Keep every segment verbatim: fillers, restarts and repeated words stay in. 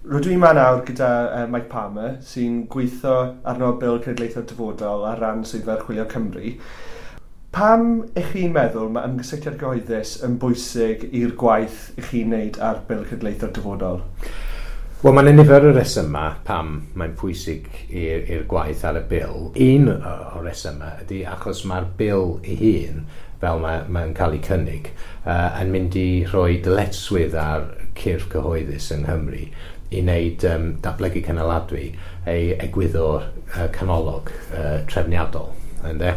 Rydw i yma nawr gyda uh, Mike Palmer, sy'n gweithio arno Bil Cenedlaethol Dyfodol ar ran Swyddfa Archwilio Cymru. Pam ych chi'n meddwl mae ymgysylltiad gyhoeddus yn bwysig i'r gwaith ych chi'n wneud ar Bil Cenedlaethol Dyfodol? Wel, mae'n nifer o resymau pam mae'n pwysig i'r gwaith ar y bil. Un o'r resymau ydy achos mae'r bil ei hun, fel mae'n mae cael ei cynnig, uh, yn mynd i rhoi dyletswydd ar cyrff cyhoeddus yng Nghymru i wneud um, datblygu cynaladwy ei egwyddor uh, canolog uh, trefniadol. Ynde?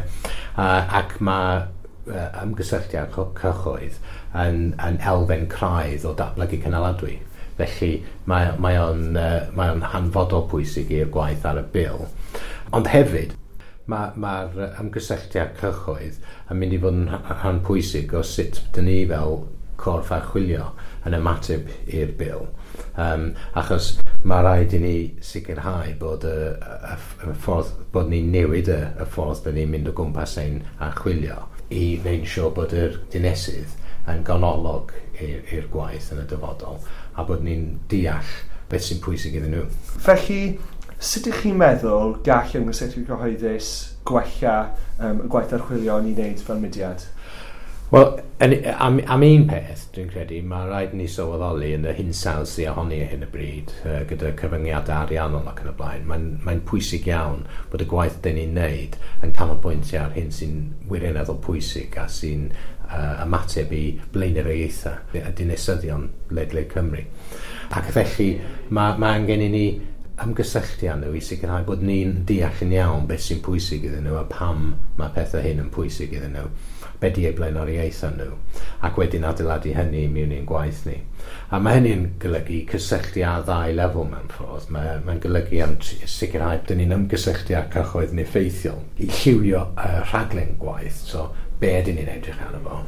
Uh, ac mae uh, ymgysylltiad cyhoedd yn, yn elfen craidd o datblygu cynaladwy. Felly mae, mae o'n, uh, mae o'n hanfodol pwysig i'r gwaith ar y bil. Ond hefyd, mae'r ma ymgysylltiad cyhoedd yn mynd i fod yn rhan pwysig o sut dyn ni fel corff archwilio yn ymateb i'r bil. Um, achos mae rhaid i ni sicrhau bod y, y, y ffordd, bod ni'n newid y, y ffordd dyn ni'n mynd o gwmpas ein archwilio i wneud yn siŵr bod yr dinesydd yn ganolog i'r gwaith yn y dyfodol a bod ni'n deall beth sy'n pwysig iddyn nhw. Felly, sut ydych chi'n meddwl gall ymgysylltu cyhoeddus gwella um, y gwaith archwilio ni'n wneud fel mudiad? Wel, yn, am, am un peth, dwi'n credu, mae rhaid ni sylweddoli yn y hinsawdd sydd ohoni ar hyn o bryd, uh, gyda cyfyngiadau ariannol ac yn y blaen. Mae'n mae pwysig iawn bod y gwaith dyn ni'n neud yn canolbwyntio ar hyn sy'n wirioneddol pwysig a sy'n uh, ymateb i blaenoriaethau y dinasyddion ledled Cymru. Ac felly, mae, mae angen i ni ymgysylltu â nhw i sicrhau bod ni'n deall yn iawn beth sy'n pwysig iddyn nhw a pam mae pethau hyn yn pwysig iddyn nhw, be di eu blaenoriaethau nhw, ac wedyn adeiladu hynny mewn i'n gwaith ni. A mae hynny'n golygu cysylltu ar ddau lefel mewn ffordd. Mae'n mae golygu am sicrhau bod ni'n ymgysylltu â'r cyhoedd yn effeithiol i lliwio uh, rhaglen gwaith, so be ydyn ni'n edrych arno fo.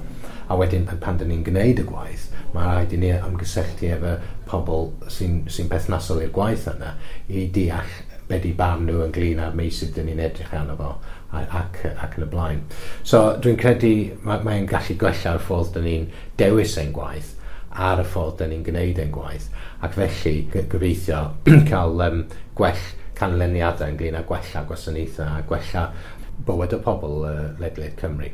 A wedyn pan dyn ni'n gwneud y gwaith, mae rhaid i ni ymgysylltu efo pobl sy'n sy perthnasol i'r gwaith yna i deall be di barn nhw ynglyn â'r meysydd dyn ni'n edrych arno fo ac, ac yn y blaen. So dwi'n credu mae'n mae gallu gwella'r ffordd dyn ni'n dewis ein gwaith ar y ffordd dyn ni'n gwneud ein gwaith, ac felly gobeithio cael um, gwell canlyniadau ynglyn â gwella gwasanaethau a gwella bywyd y pobl uh, ledled Cymru.